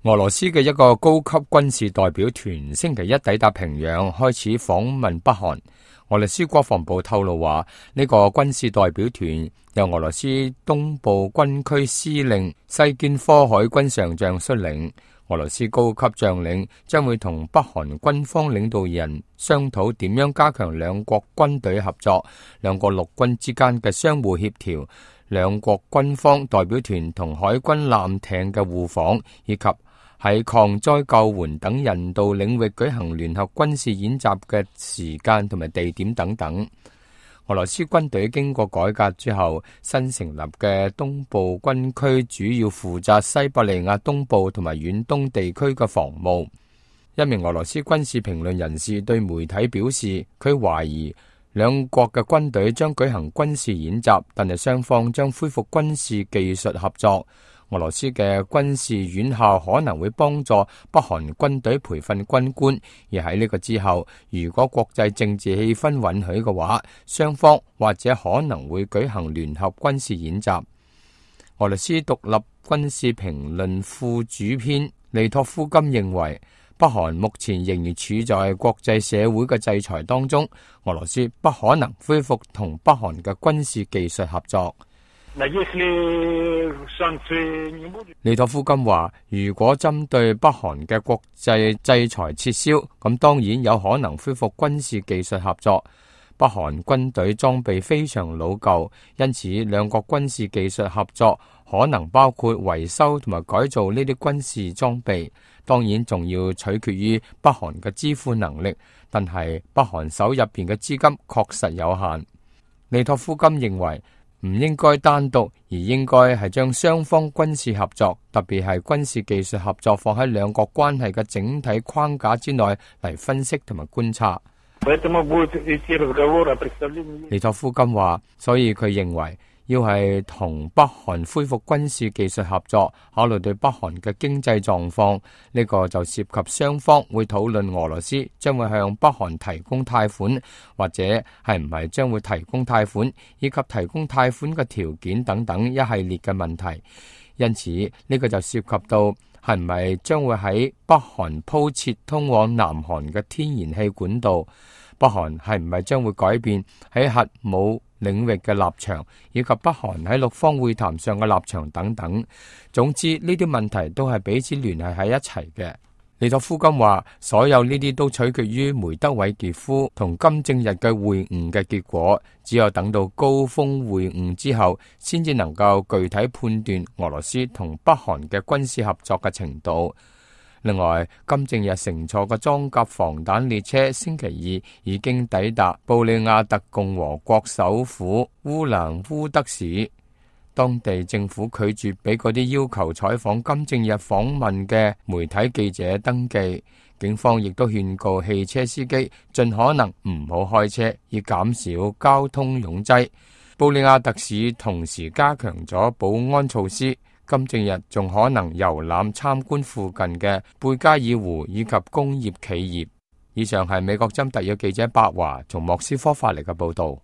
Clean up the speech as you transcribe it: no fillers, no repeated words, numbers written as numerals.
俄羅斯嘅一個高級軍事代表團星期一抵達平壤，開始訪問北韓。俄羅斯國防部透露話，呢個軍事代表團由俄羅斯東部軍區司令西堅科海軍上將率領。俄羅斯高級將領將會同北韓軍方領導人商討點樣加強兩國軍隊合作、兩國陸軍之間嘅相互協調、兩國軍方代表團同海軍艦艇嘅互訪，以及喺抗災救援等人道領域舉行聯合軍事演習嘅時間同埋地點等等。俄羅斯軍隊經過改革之後，新成立嘅東部軍區主要負責西伯利亞東部同埋遠東地區嘅防務。一名俄羅斯軍事評論人士對媒體表示，佢懷疑兩國嘅軍隊將舉行軍事演習，但係雙方將恢復軍事技術合作。俄羅斯嘅軍事院校可能會幫助北韓軍隊培訓軍官，而喺呢個之後，如果國際政治氣氛允許嘅話，雙方或者可能會舉行聯合軍事演習。俄羅斯獨立軍事評論副主編利托夫金認為，北韓目前仍然處在國際社會嘅制裁當中，俄羅斯不可能恢復同北韓嘅軍事技術合作。利托夫金話，如果針對北韓嘅國際制裁撤銷，咁當然有可能恢復軍事技術合作。北韓軍隊裝備非常老舊，因此兩國軍事技術合作可能包括維修同埋改造呢啲軍事裝備。當然仲要取決於北韓嘅支付能力，但係北韓手入邊嘅資金確實有限。利托夫金認為，唔應該單獨，而應該係將雙方軍事合作，特別係軍事技術合作放喺兩國關係嘅整體框架之內嚟分析同埋觀察。利托夫金話，所以佢認為要係同北韓恢復軍事技術合作，考慮對北韓嘅經濟狀況，呢個就涉及雙方會討論俄羅斯將會向北韓提供貸款，或者係唔係將會提供貸款，以及提供貸款嘅條件等等一系列嘅問題。因此呢個就涉及到係唔係將會喺北韓鋪設通往南韓嘅天然氣管道，北韓係唔係將會改變喺核武領域嘅立場，以及北韓喺六方會談上嘅立場等等。總之呢啲問題都係彼此聯繫喺一齊嘅。利托夫金話，所有呢啲都取決於梅德韋傑夫同金正日嘅會晤嘅結果，只有等到高峰會晤之後，先至能夠具體判斷俄羅斯同北韓嘅軍事合作嘅程度。另外，金正日乘坐嘅裝甲防彈列車星期二已經抵達布里亞特共和國首府烏蘭烏德市。當地政府拒絕俾嗰啲要求採訪金正日訪問嘅媒體記者登記。警方亦都勸告汽車司機盡可能唔好開車，以減少交通擁擠。布里亞特市同時加強咗保安措施。金正日仲可能遊覽參觀附近嘅貝加爾湖以及工業企業。以上係美國針特約記者白華從莫斯科發嚟嘅報道。